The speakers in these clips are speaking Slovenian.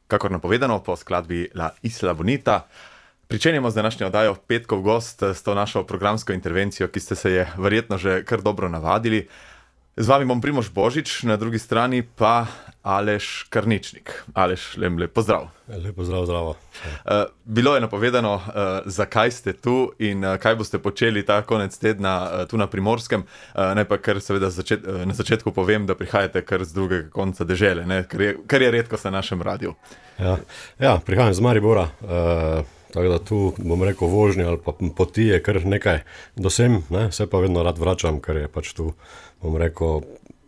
Kakor napovedano po skladbi La Isla Bonita, pričenjamo z današnjo oddajo Petkov gost s to našo programsko intervencijo, ki ste se je verjetno že kar dobro navadili. Z vami bom Primož Božič, na drugi strani pa Aleš Karničnik. Aleš, lep pozdrav. Lep pozdrav, zdravo. Bilo je napovedano, zakaj ste tu in kaj boste počeli ta konec tedna tu na Primorskem. Naj pa kar seveda na začetku povem, da prihajate kar z drugega konca dežele, ne? Kar je redko na našem radiju. Ja, prihajam z Maribora, tako da tu bom rekel vožnje ali pa poti je kar nekaj do sem, ne? Se pa vedno rad vračam, ker je pač tu, bom rekel,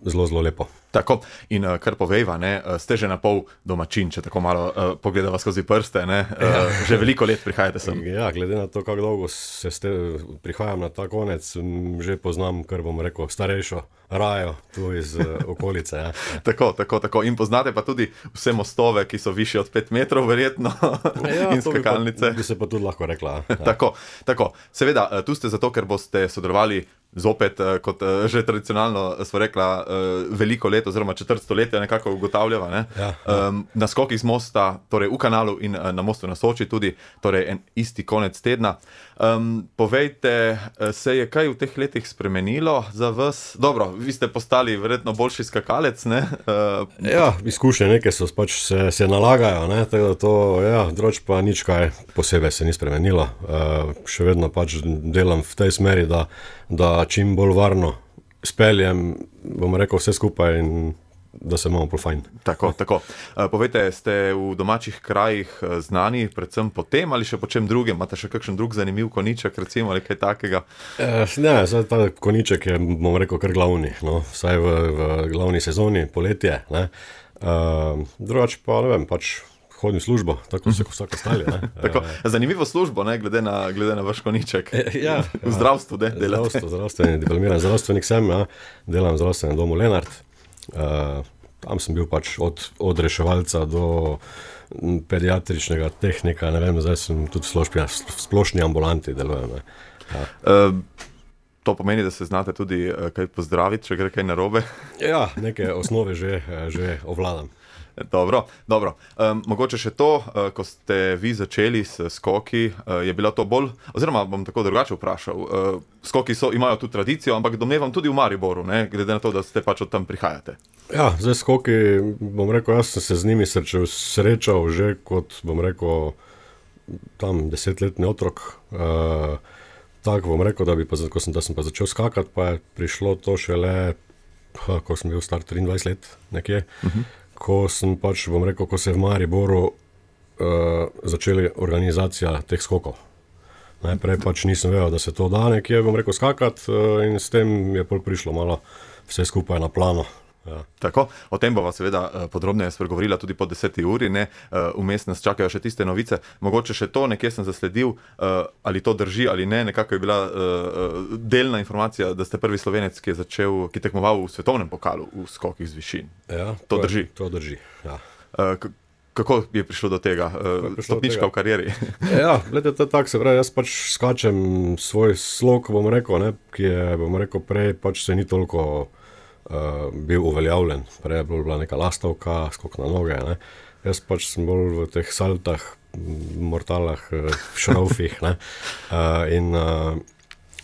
zelo lepo. Tako, in kar povejva, ne, ste že na pol domačin, če tako malo pogledava skozi prste, ne, že veliko let prihajate sem. Ja, glede na to, kako dolgo prihajam na ta konec, že poznam, kar bom rekel, starejšo rajo tu iz okolice. Ja. Tako, in poznate pa tudi vse mostove, ki so višji od 5 metrov, verjetno, ja, in skakalnice. Bi se pa tudi lahko rekla. Ja. Tako, seveda, tu ste zato, ker boste sodelovali zopet, kot že tradicionalno smo rekla, veliko let oziroma četrt stoletja nekako ugotavljava, ne? Ja. Na skokih z mosta, torej v kanalu in na mostu na Soči tudi, torej en isti konec tedna. Povejte, se je kaj v teh letih spremenilo za vas? Dobro, vi ste postali verjetno boljši skakalec, ne? Ja, izkušnje neke so pač se nalagajo, ne? Tako da to, ja, drugače pa nič kaj posebej se ni spremenilo. Še vedno pač delam v tej smeri, da čim bolj varno speljem, bom rekel, vse skupaj in da se imamo bolj fajn. Tako. Povejte, ste v domačih krajih znani predvsem po tem ali še po čem drugem? Imate še kakšen drug zanimiv koniček, recimo, ali kaj takega? Ne, ta koniček je, bom rekel, kar glavni, no, vsaj v glavni sezoni, poletje, ne. Drugače pa, ne vem, pač hodim službo, tako se kot vsak ostali, ne. Tako, zanimivo službo, ne, glede na vaš koniček. Ja, v zdravstvu, delate. Zdravstveni diplomiran zdravstvenik sem, ja. Delam v zdravstvenem domu Lenart. Tam sem bil pač od reševalca do pediatričnega tehnika, ne vem, zdaj sem tudi v splošni ambulanti delujem. Ja. To pomeni, da se znate tudi kaj pozdraviti, če gre kaj narobe? Ja, neke osnove že ovladam. Dobro. Mogoče še to, ko ste vi začeli s skoki, je bila to bolj, oziroma bom tako drugače vprašal, skoki imajo tu tradicijo, ampak domnevam tudi v Mariboru, ne, glede na to, da ste pač od tam prihajate. Ja, zdaj skoki, bom rekel, jaz sem se z njimi srečal že kot, bom rekel, tam 10-letni otrok. Tako bom rekel, da sem pa začel skakati, pa je prišlo to šele, ko sem bil star 23 let nekje. Ko sem pač, bom rekel, ko se je v Mariboru začeli organizacija teh skokov. Najprej pač nisem vedel, da se to da nekje, bom rekel, skakati in s tem je pol prišlo malo vse skupaj na plano. Ja. Tako, o tem bova seveda podrobneje spregovorila tudi po 10. uri, ne, vmes nas čakajo še tiste novice. Mogoče še to, nekje sem zasledil, ali to drži ali ne, nekako je bila delna informacija, da ste prvi Slovenec, ki tekmoval v svetovnem pokalu v skokih z višin. Ja, to drži? To drži, ja. Kako je prišlo do tega? Stopnička v karieri? Ja, gledajte, tako se pravi, jaz pač skačem svoj slog, bom rekel, ne, ki je, bom rekel, prej pač se ni toliko bil uveljavljen. Prej je bila neka lastovka, skok na noge, ne. Jaz pač sem bolj v teh saltah, mortalah, šraufih, ne. In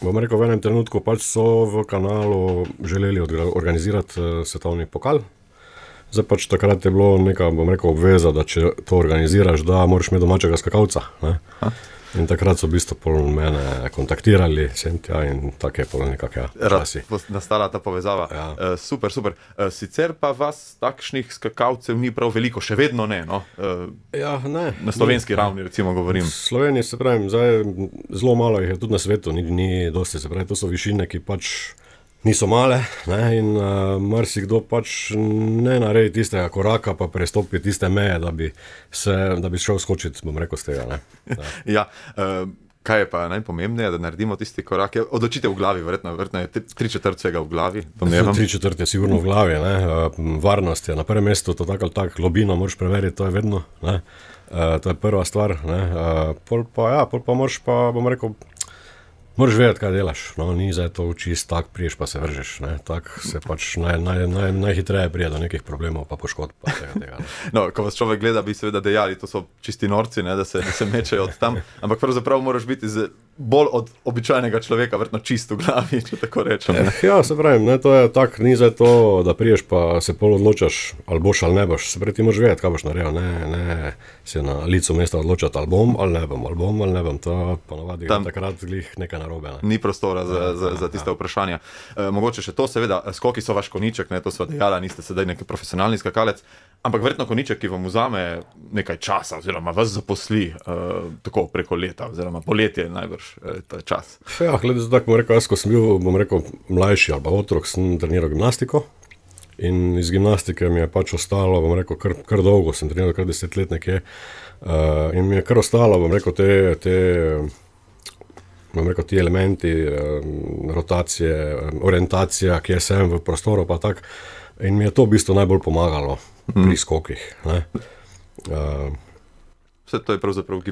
bom rekel, v enem trenutku pač so v kanalu želeli organizirati svetovni pokal. Zdaj pač takrat je bilo neka, bom rekel, obveza, da če to organiziraš, da moraš imeti domačega skakalca, ne. In takrat so v bistvu pol mene kontaktirali, sem tja in tako je pol nekako časi. Nastala ta povezava. Ja. Super. Sicer pa vas takšnih skakalcev ni prav veliko, še vedno ne, no? Ja, ne. Na slovenski ravni, recimo, govorim. V Sloveniji, se pravim, zdaj zelo malo jih je tudi na svetu, ni dosti, se pravi, to so višine, ki pač niso male, ne, in marsikdo pač ne naredi tistega koraka, pa prestopi tiste meje, da bi šel skočiti, bom rekel, z tega, ne. Ja, kaj je pa najpomembneje, da naredimo tisti korak? Odločitev v glavi, verjetno je 3/4 vsega v glavi, domnevam. 3/4 je sigurno v glavi, ne. Varnost je na prvem mestu, to tako ali tako, globino moraš preveriti, to je vedno, ne. To je prva stvar, ne. Pol pa moraš pa, bom rekel, Moraš vedeti, kaj delaš, no, ni zdaj to čist tak, priješ pa se vržeš, ne, tak se pač najhitreje prije do nekih problemov pa poškodb pa tega. No, ko vas človek gleda, bi seveda dejali, to so čisti norci, ne, da se mečejo od tam, ampak pravzaprav moraš biti bolj od običajnega človeka, verjetno čist v glavi, če tako rečem. Ja, se pravim, ne, to je tak, ni zdaj to, da priješ pa se pol odločaš, ali boš ali ne boš, se pravi, ti moraš vedeti, kaj boš naredil, ne se na licu mesta odločati, ali bom ali ne bom, to ponavadi takrat glih nekaj narobe. Ne. Ni prostora za tiste vprašanja. Mogoče še to, seveda, skoki so vaš koniček, ne, to sva dejala, niste sedaj neki profesionalni skakalec, ampak verjetno koniček, ki vam vzame nekaj časa oziroma vas zaposli tako preko leta oziroma poletje najbrž ta čas. Ja, glede za tako, bom rekel, jaz, ko sem bil, mlajši ali pa otrok, sem treniral gimnastiko in iz gimnastike mi je pač ostalo, bom rekel, kar dolgo, sem treniral kar 10 let nekje in mi je kar ostalo, bom rekel, ti elementi, rotacije, orientacija, kje sem v prostoru pa tak. In mi je to v bistvu najbolj pomagalo pri skokih. Ne. Vse to je pravzaprav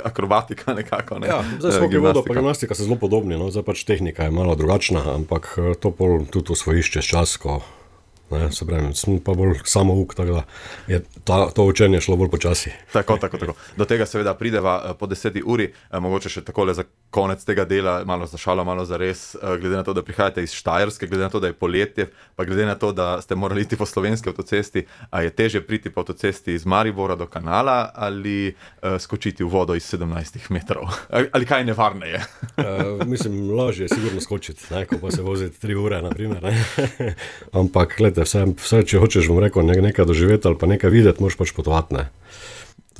akrobatika nekako. Ne? Ja, zdaj skoki vodo pa gimnastika so zelo podobni, no, zdaj pač tehnika je malo drugačna, ampak to pol tudi osvojiš čez čas, ko ne, se pravim, sem pa bolj samouk, tako da je to učenje šlo bolj počasi. Tako. Do tega seveda prideva po 10 uri, mogoče še takole za konec tega dela, malo za šalo, malo za res, glede na to, da prihajate iz Štajerske, glede na to, da je poletje, pa glede na to, da ste morali iti po slovenski avtocesti, a je težje priti po avtocesti iz Maribora do Kanala ali skočiti v vodo iz 17 metrov? Ali kaj nevarneje? Mislim, lažje je sigurno skočiti, ne, ko pa se voziti 3 ure, na primer, ne. Ampak, gledajte, vse, če hočeš, bom rekel, nekaj doživeti ali pa nekaj videti, moraš pač potovati, ne.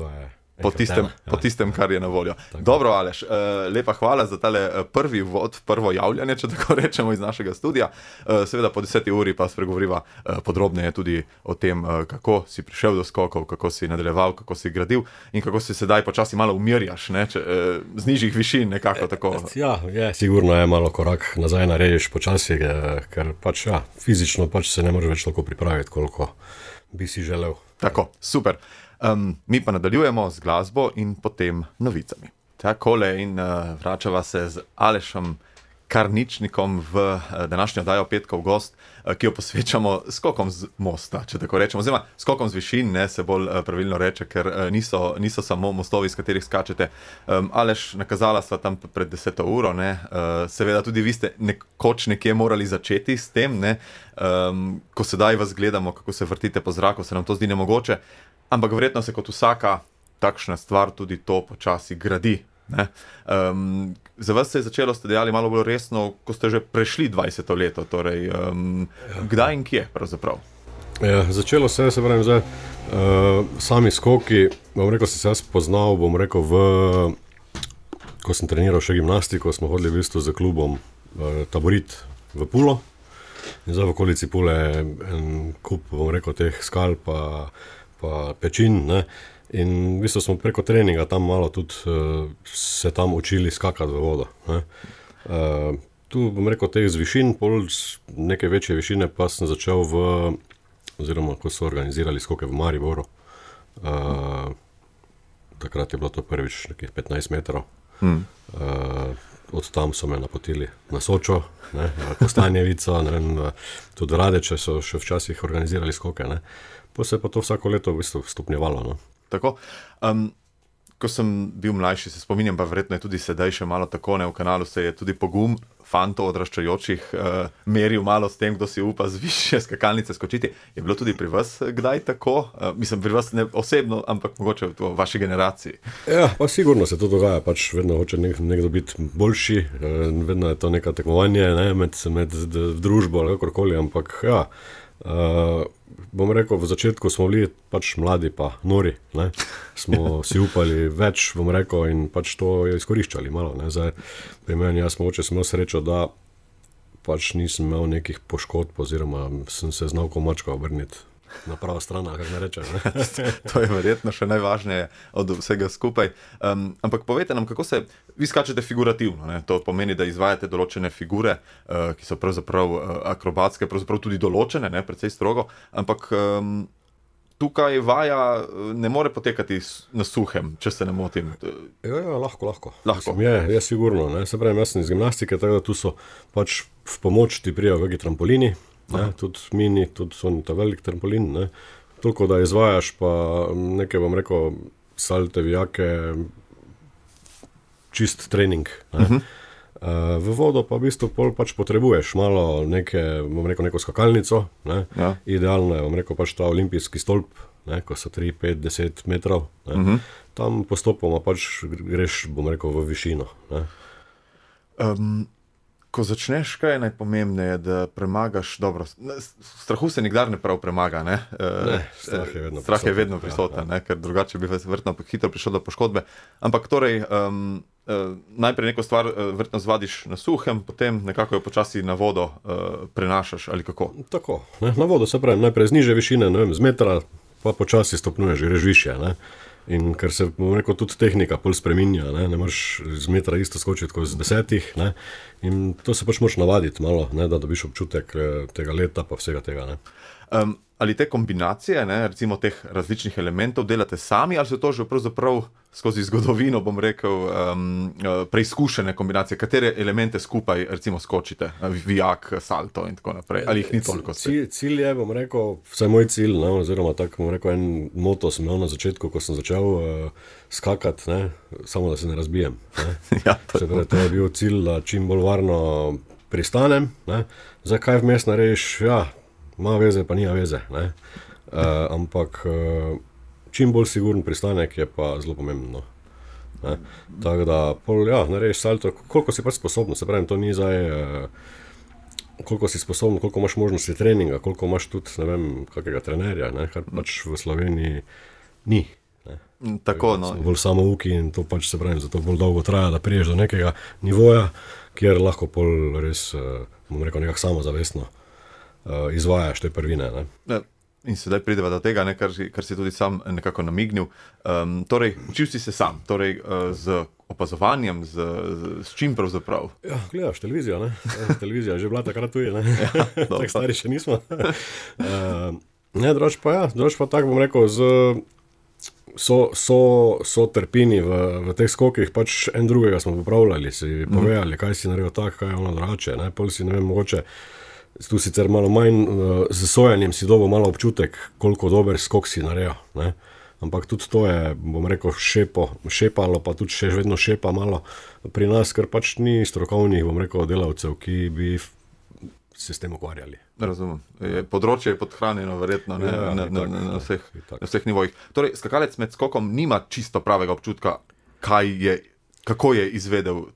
To je po tistem, kar je na voljo. Tako. Dobro, Aleš, lepa hvala za tale prvi vod, prvo javljanje, če tako rečemo, iz našega studia. Seveda po 10 uri pa spregovoriva podrobneje tudi o tem, kako si prišel do skokov, kako si nadaljeval, kako si gradil in kako si sedaj počasi malo umirjaš, ne, z nižjih višin nekako tako. Ja, sigurno je malo korak nazaj narediš počasi, ker pač fizično pač se ne moreš več toliko pripraviti, koliko bi si želel. Tako, super. Mi pa nadaljujemo z glasbo in potem novicami. Takole in vračava se z Alešem Karničnikom v današnjo oddajo Petkov gost, ki jo posvečamo skokom z mosta, če tako rečemo, oziroma skokom z višin, ne, se bolj pravilno reče, ker niso samo mostovi, s katerih skačete. Aleš, nakazala sva tam pred 10 uro, ne, seveda tudi vi ste nekoč nekje morali začeti s tem, ne, ko sedaj vas gledamo, kako se vrtite po zraku, se nam to zdi nemogoče, ampak verjetno se kot vsaka takšna stvar tudi to počasi gradi. Ne? Za vas se je začelo, ste dejali, malo bolj resno, ko ste že prešli 20. leto, torej kdaj in kje pravzaprav? Ja, začelo se pravim zdaj, sami skoki, bom rekel, sem se jaz poznal, bom rekel, ko sem treniral še gimnastiko, smo hodili v bistvu z klubom Taborit v Pulo in zdaj v okolici Pule en kup, bom rekel, teh skal pa pečin, ne. In v bistvu smo preko treninga tam malo tudi se tam učili skakati v vodo, ne. Tu bom rekel teh z višin, pol neke večje višine pa sem začel oziroma ko so organizirali skoke v Mariboru, takrat je bilo to prvič nekih 15 metrov. Od tam so me napotili na Sočo, ne, na Kostanjevico, ne, tudi Radeče so še včasih organizirali skoke, ne. Pa se pa to vsako leto v bistvu stopnjevalo, no. Tako. Ko sem bil mlajši, se spominjam, pa verjetno je tudi sedaj še malo tako, ne, v Kanalu se je tudi pogum fantov odraščajočih meril malo s tem, kdo si upa z višje skakalnice skočiti. Je bilo tudi pri vas kdaj tako? Mislim, pri vas ne osebno, ampak mogoče v vaši generaciji. Ja, pa sigurno se to dogaja, pač vedno hoče nekdo biti boljši, vedno je to neka tekmovanje, ne, med družbo ali kakorkoli, ampak ja, bom rekel, v začetku smo bili pač mladi pa nori, ne, smo si upali več, bom rekel, in pač to je izkoriščali malo, ne, zdaj pri meni, jaz mogoče sem imel srečo, da pač nisem imel nekih poškodb oziroma sem se znal ko mačka obrniti na pravo stran, kar ne rečem, ne. To je verjetno še najvažneje od vsega skupaj. Ampak povejte nam, kako se, vi skačete figurativno, ne? To pomeni, da izvajate določene figure, ki so pravzaprav akrobatske, pravzaprav tudi določene, ne? Precej strogo, ampak tukaj vaja ne more potekati na suhem, če se ne motim. Ja, lahko. Mislim, je sigurno. Ne? Se pravi, jaz sem iz gimnastike, tako da tu so pač v pomoč ti prijajo kakšni trampolini, tudi mini, tudi so ta velik trampolin, ne? Toliko, da izvajaš pa nekaj, bom rekel, salte, vijake, čist trening. Ne? V vodo pa v bistvu pol pač potrebuješ malo neko skakalnico, ne? Ja. Idealno je, bom rekel, pač ta olimpijski stolp, ne? Ko so 3, 5, 10 metrov, ne? Tam postopoma pač greš, bom rekel, v višino. Ne? Ko začneš, kaj je najpomembneje, da premagaš dobro. Strahu se nikdar ne prav premaga, ne? Strah je vedno prisoten, ne? Ker drugače bi verjetno hitro prišel do poškodbe. Ampak torej, najprej neko stvar verjetno zvadiš na suhem, potem nekako jo počasi na vodo prenašaš, ali kako? Tako, ne? Na vodo se pravi, najprej z nižje višine, ne vem, z metra, pa počasi stopnjuješ, greš višje, ne? In ker se, bom rekel, tudi tehnika pol spreminja, ne moreš z metra isto skočiti kot z 10, ne, in to se pač moraš navaditi malo, ne, da dobiš občutek tega leta pa vsega tega, ne. Ali te kombinacije, ne, recimo teh različnih elementov delate sami, ali so to že pravzaprav skozi zgodovino, bom rekel, preizkušene kombinacije, katere elemente skupaj recimo skočite, vijak, salto in tako naprej, ali jih ni toliko? Cilj je, bom rekel, vsaj moj cilj, ne, oziroma tako, bom rekel, en moto sem imel na začetku, ko sem začel skakati, ne, samo da se ne razbijem. Ne. Ja, to je bil cilj, da čim bolj varno pristanem, ne. Zakaj vmes narediš, ja, ima veze, pa nima veze, ne. Ampak čim bolj siguren pristanek je pa zelo pomembno. Ne. Tako da, narediš salto, koliko si pač sposobno, se pravim, to ni zdaj, koliko si sposobno, koliko imaš možnosti treninga, koliko imaš tudi, ne vem, kakega trenerja, ne, kar pač v Sloveniji ni. Ne. Tako, no. Smo bolj samouki in to pač, se pravim, zato bolj dolgo traja, da priješ do nekega nivoja, kjer lahko pol res, bom rekel, nekako samozavestno izvajaš te prvine. Ne? In sedaj prideva do tega, ne, kar si tudi sam nekako namignil. Torej, učil si se sam, torej z opazovanjem, s čim pravzaprav? Ja, gledaš televizijo, ne? Televizija je že bila takrat tuje, ne? Tako stari še nismo. Drugač pa tako, bom rekel, so trpini v teh skokih, pač en drugega smo popravljali, si povedali, kaj si naredil tako, kaj je ono drugače, ne? Pol si, ne vem, mogoče tu sicer malo manj, z sojanjem si dobil malo občutek, koliko dober skok si naredil, ne? Ampak tudi to je, bom rekel, šepalo, pa tudi še vedno šepa malo pri nas, ker pač ni strokovnih, bom rekel, delavcev, ki bi se s tem ukvarjali. Razumem. Področje je podhranjeno verjetno, ne, na vseh nivojih. Torej, skakalec med skokom nima čisto pravega občutka, kako je izvedel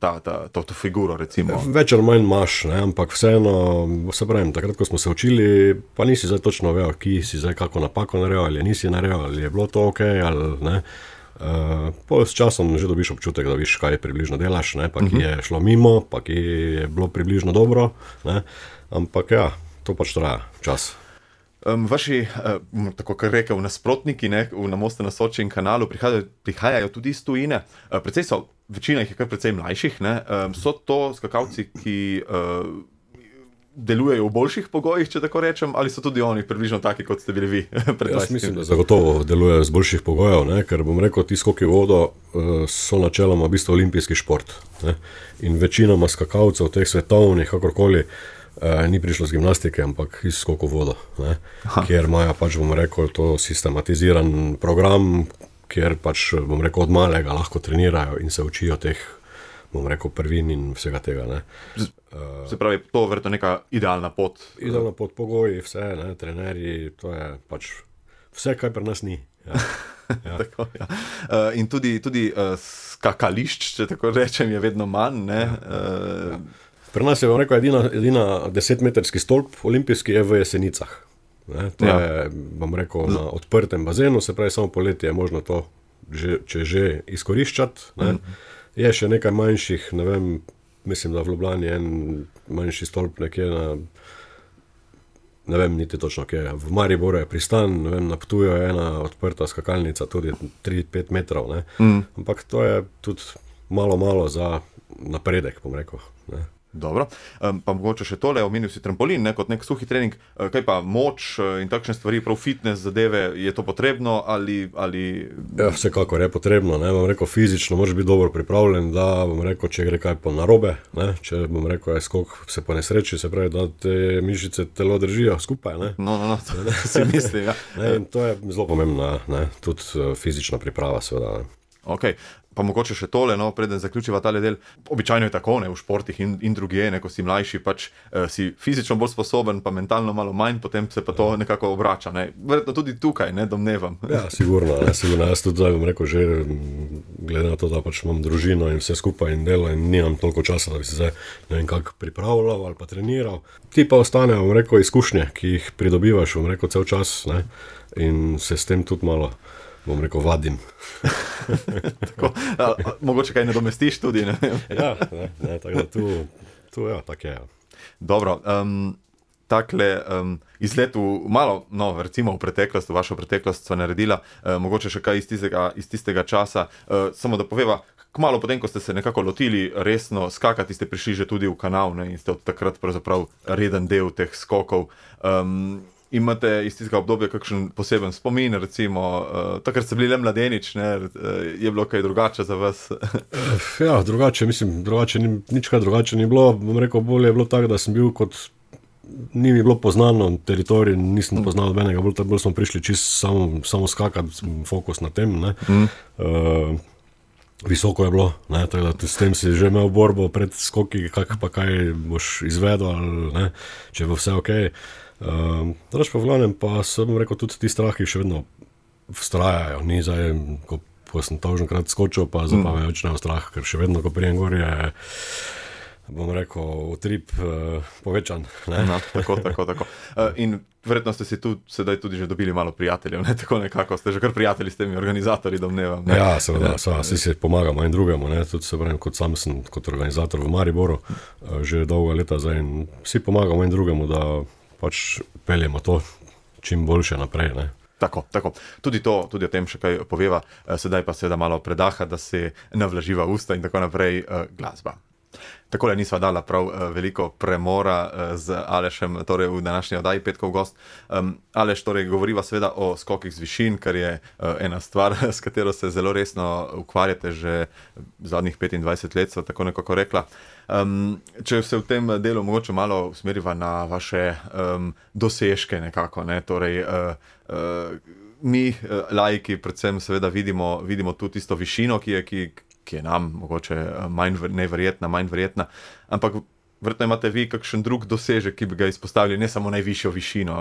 to figuro, recimo. Več ali manj imaš, ne, ampak vseeno, se pravim, takrat, ko smo se učili, pa nisi zdaj točno vedel, ki si zdaj kako napako naredil, ali nisi naredil, ali je bilo to okej, ali ne. S časom že dobiš občutek, da viš, kaj približno delaš, ne, pa ki je šlo mimo, pa ki je bilo približno dobro, ne, ampak ja, to pač traja čas. Vaši, tako kar rekel, nasprotniki, ne, na Mostu na Soči in Kanalu prihajajo tudi iz tujine. Večina jih je kar precej mlajših, ne. So to skakalci, ki delujejo v boljših pogojih, če tako rečem, ali so tudi oni približno taki, kot ste bili vi? Jaz mislim, da zagotovo delujejo z boljših pogojev, ne, ker bom rekel, ti skoki v vodo so načeloma v bistvu olimpijski šport, ne. In večinoma skakalcev teh svetovnih, kakorkoli, ni prišlo z gimnastike, ampak iz skokov v vodo, ne, kjer imajo pač, bom rekel, to sistematiziran program, kjer pač, bom rekel, od malega lahko trenirajo in se učijo teh, bom rekel, prvin in vsega tega, ne. Se pravi, to verjetno neka idealna pot. Idealna pot, pogoji, vse, ne, trenerji, to je pač vse, kaj pri nas ni. Ja. Ja. Tako, ja. In tudi skakališč, če tako rečem, je vedno manj, ne. Pri nas je, bom rekel, edina 10-metrski stolp olimpijski je v Jesenicah. Ne, to je, bom rekel, na odprtem bazenu, se pravi, samo poletje je možno to že izkoriščati. Ne. Je še nekaj manjših, ne vem, mislim, da v Ljubljani je en manjši stolp nekje na, ne vem niti točno kje, v Mariboru je Pristan, ne vem, na Ptuju je ena odprta skakalnica, tudi 3-5 metrov, ne. Ampak to je tudi malo za napredek, bom rekel, ne. Dobro. Pa mogoče še tole, omenil si trampolin, ne, kot nek suhi trening, kaj pa moč in takšne stvari, prav fitness zadeve, je to potrebno ali... Ja, vsekakor je potrebno, ne, bom rekel, fizično moraš biti dobro pripravljen, da, bom rekel, če gre kaj po narobe, ne, če, bom rekel, je skok se po nesreči, se pravi, da te mišice telo držijo skupaj, ne. No, to si mislim, ja. Ne, in to je zelo pomembna, ne, tudi fizična priprava, seveda, ne. Ok, pa mogoče še tole, no, preden zaključiva tale del. Običajno je tako, ne, v športih in drugje, ne, ko si mlajši, pač si fizično bolj sposoben, pa mentalno malo manj, potem se pa to nekako obrača, ne. Verjetno tudi tukaj, ne, domnevam. Ja, sigurno, jaz tudi zdaj bom rekel, že glede na to, da pač imam družino in vse skupaj in delo in nimam toliko časa, da bi se zdaj ne vem kako pripravljal ali pa treniral. Ti pa ostane, bom rekel, izkušnje, ki jih pridobivaš, bom rekel, cel čas, ne, in se s tem tudi malo, bom rekel, vadim. Tako, mogoče kaj ne domestiš tudi, ne? Ja, ne, tako da tu ja, tako je. Dobro, takle izlet v malo, no, recimo v preteklost, v vašo preteklost sva naredila, mogoče še kaj iz tistega časa, samo da poveva, kmalu potem, ko ste se nekako lotili resno skakati, ste prišli že tudi v kanal, ne, in ste od takrat pravzaprav reden del teh skokov. Imate iz tistega obdobja kakšen poseben spomin, recimo, takrat ste bili le mladenič, ne, je bilo kaj drugače za vas? Ja, drugače, nič kaj drugače ni bilo, bom rekel, bolje je bilo tako, da sem bil kot, ni mi bilo poznano teritorij, nisem poznal nobenega, bolj smo prišli čisto samo skakati, fokus na tem, ne. Visoko je bilo, ne, tako da s tem si že imel borbo pred skoki, kaj boš izvedel, ali ne, če bo vse okej. Drugače pa v glavnem pa sem rekel, tudi ti strahi še vedno vztrajajo, ni zdaj, ko sem toženkrat skočil, pa zdaj pa me več nemam strah, ker še vedno, ko prijem gor je, bom rekel, utrip povečan. Ne? No, tako. In verjetno ste si tu sedaj tudi že dobili malo prijateljev, ne, tako nekako, ste že kar prijatelji s temi organizatorji, domnevam. Ne? Ja, seveda, vsi si pomagamo en drugemu, ne, tudi se pravim, kot sam sem kot organizator v Mariboru, že dolga leta zdaj in vsi pomagamo en drugemu, da pač peljemo to čim boljše naprej, ne. Tako. Tudi o tem še kaj poveva, sedaj pa seveda malo predaha, da se navlaživa usta in tako naprej, glasba. Takole nisva dala prav veliko premora z Alešem, torej v današnji oddaji Petkov gost. Aleš, torej govoriva seveda o skokih z višin, kar je ena stvar, s katero se zelo resno ukvarjate že zadnjih 25 let, sva tako nekako rekla. Če se v tem delu mogoče malo usmeriva na vaše dosežke nekako, ne, torej mi, laiki, predvsem seveda vidimo tu tisto višino, ki je nam mogoče manj verjetna, ampak verjetno imate vi kakšen drug dosežek, ki bi ga izpostavili, ne samo najvišjo višino,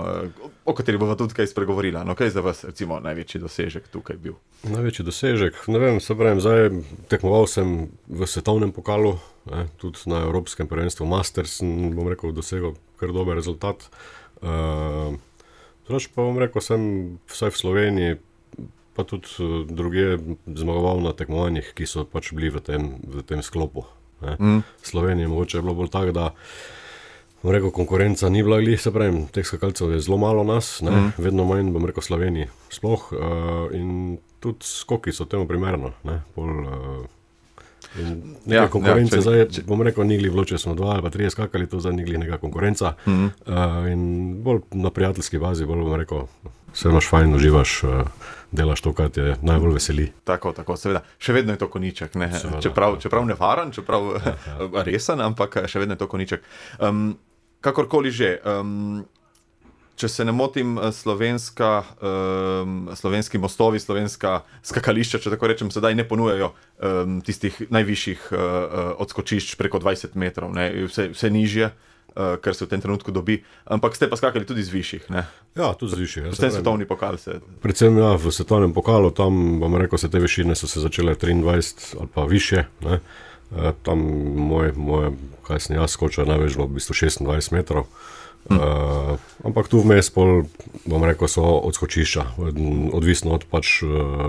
o kateri bova tudi kaj spregovorila. No, kaj je za vas, recimo, največji dosežek tukaj bil? Največji dosežek? Ne vem, se pravim, zdaj tekmoval sem v svetovnem pokalu, ne, tudi na evropskem prvenstvu Masters, bom rekel, dosegel kar dober rezultat. Drugače pa bom rekel, sem vsaj v Sloveniji, pa tudi drugje zmagoval na tekmovanjih, ki so pač bili v tem sklopu. V Sloveniji mogoče je bilo bolj tako, da bom rekel, konkurenca ni bila glih, se pravim, teh skakalcev je zelo malo nas, ne, vedno manj, bom rekel, Sloveniji sploh, in tudi skoki so temu primerno, ne, neka konkurenca, zdaj bom rekel, ni glih bilo, če smo 2 ali pa 3 skakali, to zdaj ni glih neka konkurenca, in bolj na prijateljski bazi, bolj bom rekel, se imaš fajn, uživaš, delaš to, kar te najbolj veseli. Tako, seveda, še vedno je to konjiček, ne, čeprav nevaren, čeprav resen, ampak še vedno je to konjiček. Kakorkoli že, če se ne motim, slovenski mostovi, slovenska skakališča, če tako rečem, sedaj ne ponujajo tistih najvišjih odskočišč preko 20 metrov, ne, vse nižje, kar se v tem trenutku dobi, ampak ste pa skakali tudi z višjih, ne? Ja, tudi z višjih. Predvsem svetovni pokal se... Predvsem, ja, v svetovnem pokalu, tam, bom rekel, se te višine so se začele 23 ali pa više, ne? Tam moje, kaj sem jaz skočil, največ bilo v bistvu 26 metrov. Ampak tu vmes pol, bom rekel, so odskočišča, odvisno od pač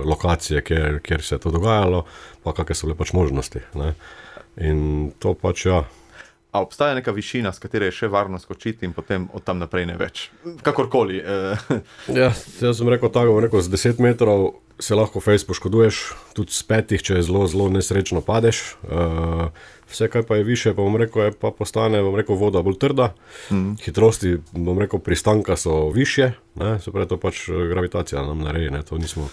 lokacije, kjer se je to dogajalo, pa kakve so bile pač možnosti, ne? In to pač, ja. A obstaja neka višina, s katere je še varno skočiti in potem od tam naprej ne več? Kakorkoli. Ja, jaz sem rekel tako, z 10 metrov se lahko fejs poškoduješ, tudi s petih, če zelo, zelo nesrečno padeš. Vse, kaj pa je više, pa bom rekel, pa postane, voda bolj trda. Hitrosti, bom rekel, pristanka so višje, ne, se pravi, to pač gravitacija nam naredi, ne, to nismo,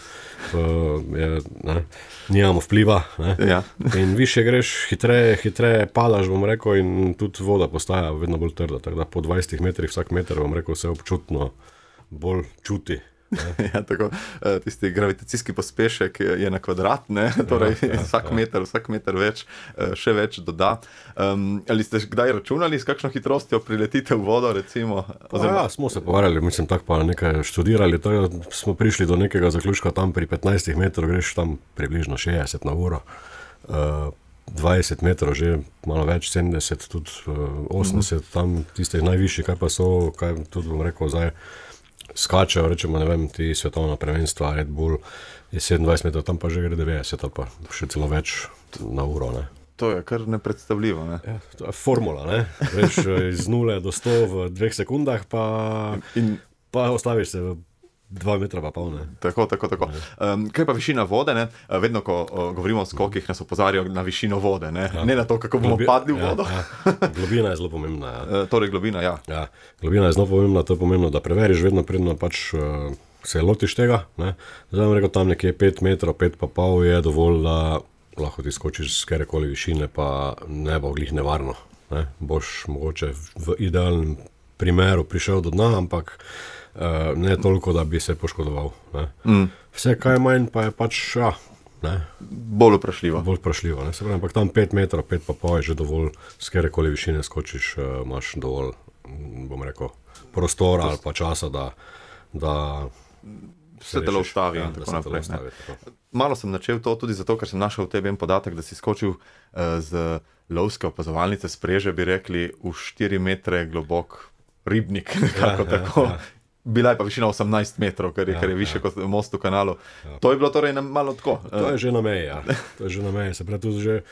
nijamo vpliva, ne. Ja. In više greš, hitreje padaš, bom rekel, in tudi voda postaja vedno bolj trda, tako da po 20 metrih vsak meter, bom rekel, se občutno bolj čuti. Ja, tako, tisti gravitacijski pospešek je na kvadrat, ne? Torej vsak meter več, še več doda. Ali ste kdaj računali, s kakšno hitrostjo priletite v vodo, recimo? Ja, smo se povarjali, mislim, tako pa nekaj študirali, tako smo prišli do nekega zaključka, tam pri 15 metrov greš tam približno 60 na uro, 20 metrov že malo več, 70, tudi 80, tam tistih najvišjih, kaj pa so, kaj tudi bom rekel zdaj, skačejo, rečemo, ne vem, ti svetovna prvenstva, Red Bull je 27 metrov, tam pa že gre 90 ali pa še celo več na uro, ne. To je kar nepredstavljivo, ne. Ja, to je formula, ne. Veš, iz 0 do 100 v 2 sekundah, pa ostaviš se v 2 metra pa pol, ne. Tako. Kaj pa višina vode, ne? Vedno, ko govorimo o skokih, nas opozarjajo na višino vode, ne? Ja. Ne na to, kako bomo padli v vodo. Ja. Globina je zelo pomembna. Ja. Torej globina, ja. Ja, globina je zelo pomembna, to je pomembno, da preveriš vedno predno pač se lotiš tega, ne. Zdaj vam rekel, tam nekje 5 metrov, 5 pa pol je dovolj, da lahko ti skočiš z katerekoli višine, pa ne bo glih nevarno, ne. Boš mogoče v idealnem primeru prišel do dna, ampak ne toliko, da bi se poškodoval. Vse, kaj je manj, pa je pač, ne. Bolj vprašljivo. Ne. Se pravi, ampak tam 5 metrov, 5 pa pol je že dovolj, s katerekoli višine skočiš, imaš dovolj, bom rekel, prostora ali pa časa, da se telo ustavi in tako naprej. Malo sem načel to tudi zato, ker sem našel v tebi en podatek, da si skočil z lovske opazovalnice spreže, bi rekli, v 4 metre globok ribnik, nekako tako. Ja. Bila je pa višina 18 metrov, kar je više kot most v kanalu. Ja. To je bilo torej malo tako. To je že na meji, ja. To je že na meji. Se pravi, tudi že,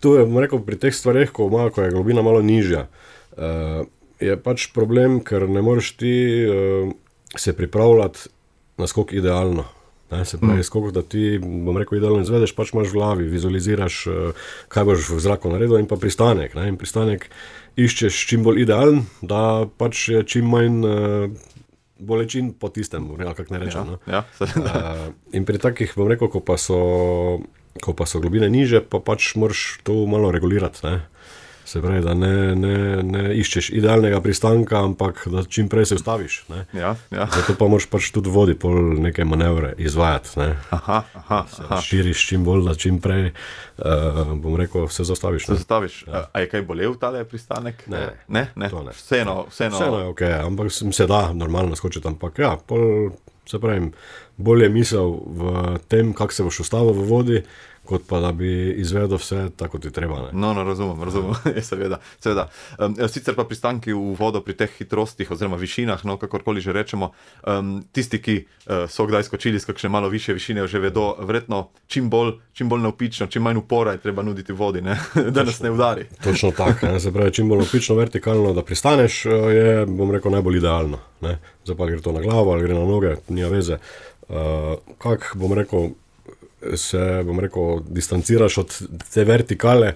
tu je, rekel, pri teh stvareh, ko je globina malo nižja, je pač problem, ker ne moreš ti se pripravljati na skok idealno. Ne? Se pravi, skok, da ti, bom rekel, idealno izvedeš, pač imaš v glavi, vizualiziraš, kaj boš v zraku naredil in pa pristanek. Ne? In pristanek iščeš čim bolj idealen, da pač je čim manj bolečin po tistem, kako ne rečem. Ja. In pri takih, bom rekel, ko pa so globine niže, pa pač moraš to malo regulirati, ne. Se pravi, da ne iščeš idealnega pristanka, ampak da čim prej se ustaviš, ne. Ja. Zato pa moraš pač tudi vodi pol neke manevre izvajati, ne. Aha. Širiš čim bolj, da čim prej, bom rekel, se zastaviš. Ja. A je kaj bolel tale pristanek? Ne? To ne. Vseeno je okej, ampak se da normalno skočiti, ampak ja, pol, se pravim, bolje misel v tem, kako se boš ustavil v vodi, kot pa da bi izvedel vse tako, kot ti treba. Ne? No, razumem, seveda. Sicer pa pristanki v vodo pri teh hitrostih oziroma višinah, no, kakorkoli že rečemo, tisti, ki so kdaj skočili s kakšne malo višje višine, že vedo, verjetno čim bolj navpično, čim manj upora je treba nuditi vodi, ne? Da nas ne udari. Točno tako, se pravi, čim bolj navpično, vertikalno, da pristaneš, je, bom rekel, najbolj idealno. Ne? Zdaj pa gre to na glavo ali gre na noge, nima veze. Kak, bom rekel, distanciraš od te vertikale,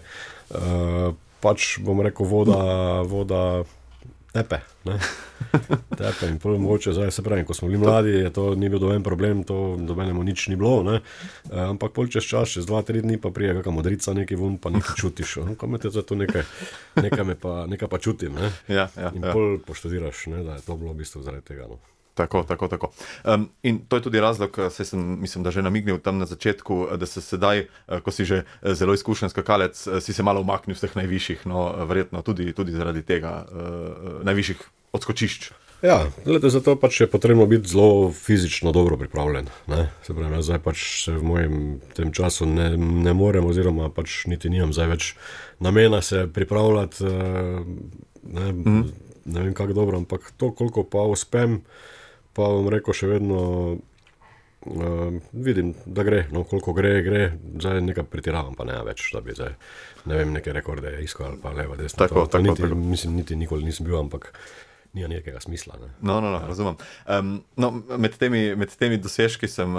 pač, bom rekel, voda tepe, ne? Tepe in prvo mogoče, zdaj se pravi, ko smo bili mladi, to ni bil doben problem, to dobenemu nič ni bilo, ne? Ampak pol čez čas, čez 2-3 dni pa prije kakšna modrica nekaj vun, pa nekaj čutiš, kam je to nekaj pa čutim, ne? Ja. In pol poštudiraš, ne, da je to bilo v bistvu zaradi tega, no. Tako. In to je tudi razlog, mislim, da že namignil tam na začetku, da se sedaj, ko si že zelo izkušen skakalec, si se malo umaknil z teh najvišjih, no, verjetno tudi zaradi tega najvišjih odskočišč. Ja, gledajte, zato pač je potrebno biti zelo fizično dobro pripravljen, ne. Se pravi, zdaj pač se v mojem tem času ne morem, oziroma pač niti nimam zdaj več namena se pripravljati, ne vem kako dobro, ampak to, koliko pa uspem, pa bom rekel, še vedno vidim, da gre, no, koliko gre, zdaj nekaj pretiravam, pa ne več, da bi zdaj, ne vem, neke rekorde iskal, ali pa leva, desna, tako. Mislim, niti nikoli nisem bil, ampak nima nekega smisla. Ne. No, razumem. Med temi dosežki sem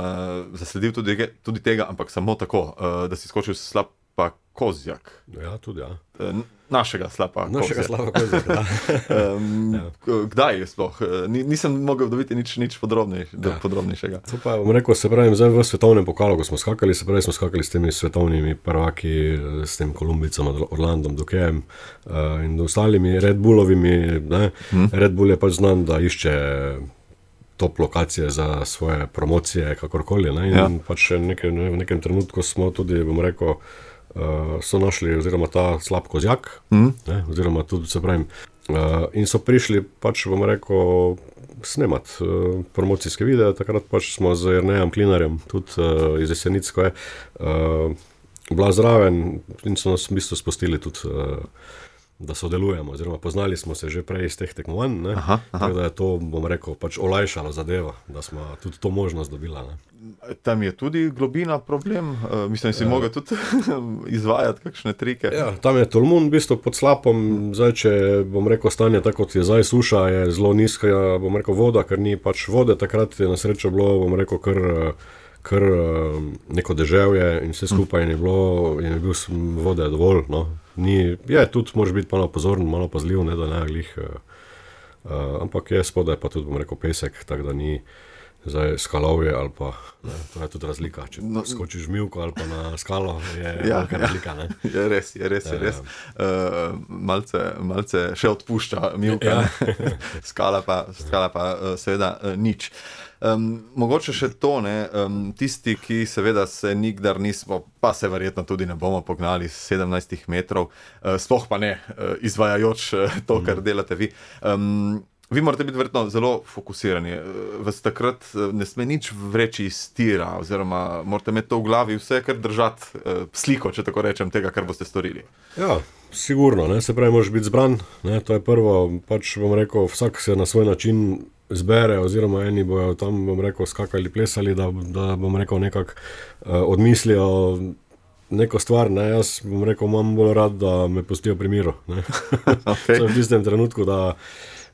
zasledil tudi tega, ampak samo tako, da si skočil Slapa Kozjak. Ja, tudi, ja. Našega Slapa Kozjak, da. Kdaj je sploh? Nisem mogel dobiti nič podrobnejšega. To pa bom rekel, se pravi, zdaj v svetovnem pokalu, ko smo skakali, se pravi, smo skakali s temi svetovnimi prvaki, s tem Kolumbicom, Orlandom, Dukejem in ostalimi Red Bullovimi, ne. Red Bull je pač znan, da išče top lokacije za svoje promocije, kakorkoli, ne. In pač v nekem trenutku smo tudi, bom rekel, so našli, oziroma ta Slap Kozjak, ne, oziroma tudi, se pravim, in so prišli, pač bom rekel, snemati promocijske videe, takrat pač smo z Jernejem Klinarjem, tudi iz Jesenic, ko je bila zraven in so nas v bistvu spustili tudi, da sodelujemo, oziroma poznali smo se že prej iz teh tekmovanj, ne, tako da je to, bom rekel, pač olajšalo zadevo, da smo tudi to možnost dobila, ne. Tam je tudi globina problem, mislim, si mogel tudi izvajati kakšne trike. Ja, tam je tolmun, v bistvu pod slapom, zdaj, če bom rekel, stanje tako, kot je zdaj suša, je zelo nizka, bom rekel, voda, ker ni pač vode, takrat je na srečo bilo, bom rekel, kar neko deževje in vse skupaj je bil vode dovolj, no. Je tudi, moraš biti malo pozoren, malo pazljiv, ne, da ne glih, ampak je spodaj pa tudi, bom rekel, pesek, tako da ni zdaj skalovje ali pa, ne, to je tudi razlika, če skočiš mivko ali pa na skalo, je velika razlika, ne. Je res. Malce še odpušča mivka, ne. Skala pa seveda nič. Mogoče še to, ne, tisti, ki seveda se nikdar nismo, pa se verjetno tudi ne bomo pognali s 17 metrov, sploh pa ne izvajajoč to, kar delate vi. Vi morate biti verjetno zelo fokusirani, vas takrat ne sme nič vreči iz tira, oziroma morate imeti to v glavi vse, kar držati sliko, če tako rečem, tega, kar boste storili. Ja, sigurno, ne, se pravi, moraš biti zbran, ne, to je prvo, pač bom rekel, vsak se na svoj način zbere, oziroma eni bojo tam, bom rekel, skakali, plesali, da bom rekel, nekako odmislijo neko stvar, ne, jaz bom rekel, imam bolj rad, da me pustijo pri miru, ne. Okay. V tistem trenutku,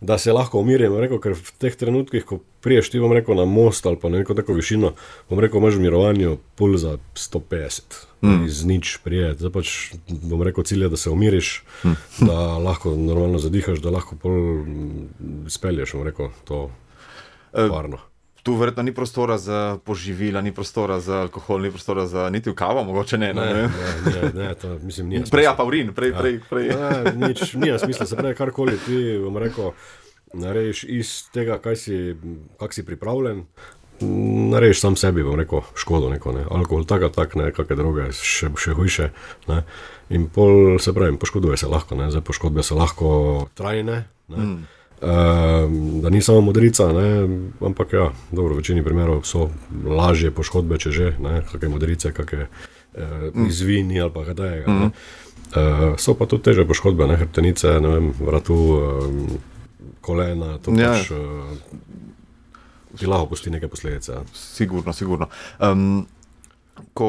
da se lahko umirim, rekel, ker v teh trenutkih, ko priješ ti, bom rekel, na most ali pa na neko tako višino, bom rekel, imaš v mirovanju pulza 150, iz nič prijet. Zdaj pač, bom rekel, cilj je, da se umiriš, da lahko normalno zadihaš, da lahko pol spelješ, bom rekel, to varno. Tu verjetno ni prostora za poživila, ni prostora za alkohol, ni prostora za niti v kavo, mogoče ne. Ne, to mislim, nija smisla. Prej pa urin, prej. Ne, nič, nija smisla, se pravi, karkoli ti, bom rekel, narediš iz tega, kak si pripravljen, narediš sam sebi, bom rekel, škodo neko, ne, alkohol tak, ne, kakve droge, še hujše, ne, in pol, se pravi, poškoduje se lahko, ne, zdaj poškodbe so lahko trajne, ne, da ni samo modrica, ne, ampak ja, dobro, v večini primerov so lažje poškodbe, če že, ne, kakve modrice, kakve izvini ali pa kaj tajega, ne. So pa tudi teže poškodbe, ne, hrbtenice, ne vem, vratu, kolena, to pač ti lahko pusti neke posledice. Sigurno. Ko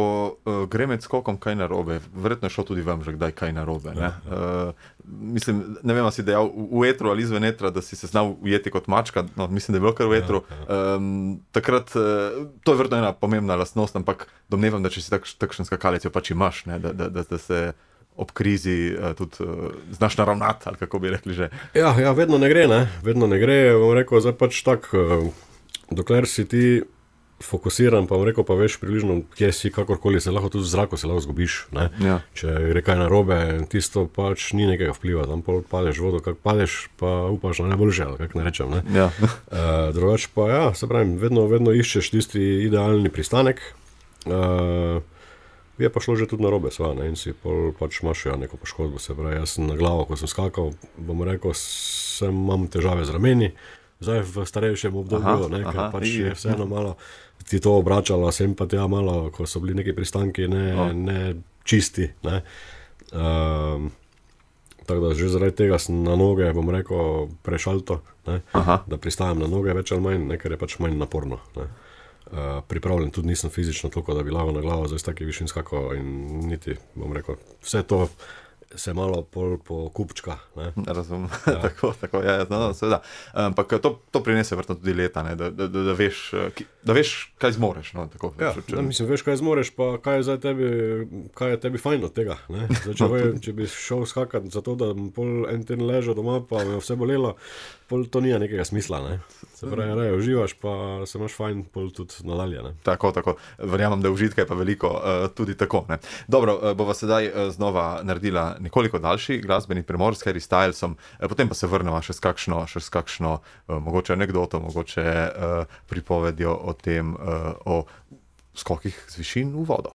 gre med skokom kaj narobe, verjetno je šlo tudi vam že kdaj kaj narobe, ne? Mislim, ne vem, si dejal v etru ali izven etra, da si se znal ujeti kot mačka, no, mislim, da je bilo kar v etru. Takrat, to je verjetno ena pomembna lastnost, ampak domnevam, da če si takšen skakalec, jo pač imaš, ne? Da se ob krizi tudi znaš naravnati, ali kako bi rekli že. Ja, vedno ne gre, bom rekel, zdaj pač tak, dokler si ti fokusiran, pa bom rekel, pa veš približno, kje si, kakorkoli se lahko tudi v zraku se lahko zgubiš, ne. Ja. Če gre kaj narobe, tisto pač ni nekega vpliva, tam pol padeš v vodo, kak padeš, pa upaš na najboljše, ali kak ne rečem, ne. Ja. Drugač pa ja, se pravim, vedno iščeš tisti idealni pristanek, je pa šlo že tudi narobe, sva, ne, in si pol pač imaš neko poškodbo, se pravi, jaz sem na glavo, ko sem skakal, bom rekel, imam težave z rameni, zdaj v starejšem obdobju, ne, ker pač je vseeno malo ti to obračalo, sem pa tja malo, ko so bili neki pristanki ne čisti, ne. Tako da že zaradi tega sem na noge, bom rekel, prešalto, ne, da pristajam na noge več ali manj, ne, ker je pač manj naporno, ne. Pripravljen tudi nisem fizično toliko, da bi lahko na glavo zdaj s taki višin skakal in niti, bom rekel, vse to se malo pol po kupčka. Ne? Razumem, tako, seveda. Ampak to prinese vrtno tudi leta, ne? Da veš, kaj zmoreš. No? Tako, mislim, veš, kaj zmoreš, pa kaj je tebi fajn od tega. Zdaj, če bi šel skakati za to, da pol en ten ležal doma, pa me vse bolelo, pol to nija nekega smisla. Ne? Se pravi, uživaš, pa se imaš fajn pol tudi nadalje. Ne? Tako. Verjamem, da užitka je pa veliko tudi tako. Ne? Dobro, bova sedaj znova naredila nekoliko daljši glasbeni premor s Harry Stylesom, potem pa se vrnemo še s kakšno mogoče anekdoto, mogoče pripovedjo o tem, o skokih z višin v vodo.